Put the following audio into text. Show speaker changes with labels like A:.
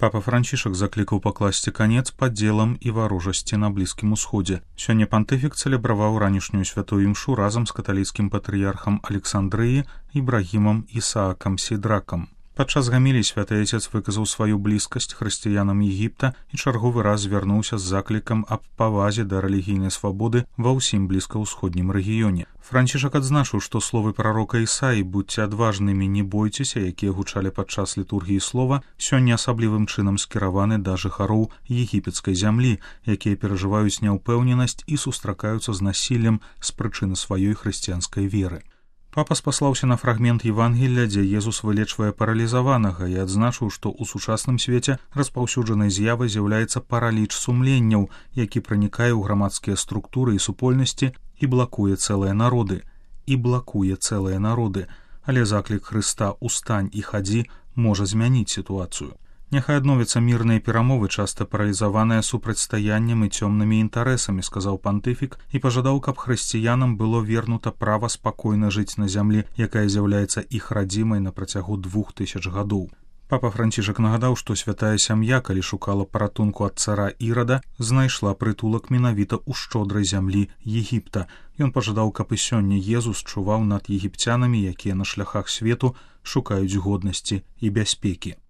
A: Папа Францішак заклікаў пакласці канец падзелам і варожасці на Блізкім Усходзе. Сёння пантыфік цэлебраваў ранішнюю святую імшу разам з каталіцкім патрыярхам Александрыі Ібрагімам Ісаакам Сідракам. Падчас гаміліі святы Отец выказаў сваю блізкасць хрысціянам Егіпта і чарговы раз звярнуўся з заклікам аб павазе да рэлігійнай свабоды ва ўсім блізкаўсходнім рэгіёне. Францішак адзначыў, што словы прарока Ісаі «Будьце адважнымі, не бойцеся», якія гучалі падчас літургіі слова, сёння асаблівым чынам скіраваны да жыхароў егіпецкай зямлі, якія перажываюць няўпэўненасць і сустракаюцца з насіллем з прычыны сваёй хрысціянскай веры. Папа спаслаўся на фрагмент Евангелля, дзе Езус вылечвае паралізаванага і адзначыў, што ў сучасным свеце распаўсюджанай з'явай з'яўляецца параліч сумленняў, які пранікае ў грамадскія структуры і супольнасці і блакуе цэлыя народы. Але заклік Хрыста «Устань і хадзі» можа змяніць сітуацыю. Няхай адновяцца мірныя перамовы, часта паралізаваныя супрацьстаяннем і цёмнымі інтарэсамі, сказаў пантыфік і пажадаў, каб хрысціянам было вернута права спакойна жыць на зямлі, якая з'яўляецца іх радзімай на працягу 2000 гадоў. Папа Францішак нагадаў, што святая сям'я, калі шукала паратунку ад цара Ірада, знайшла прытулак менавіта ў шчодрай зямлі Егіпта. Ён пажадаў, каб і сёння Езус чуваў над егіпцянамі, якія на шляхах свету шукаюць годнасці і бяспекі.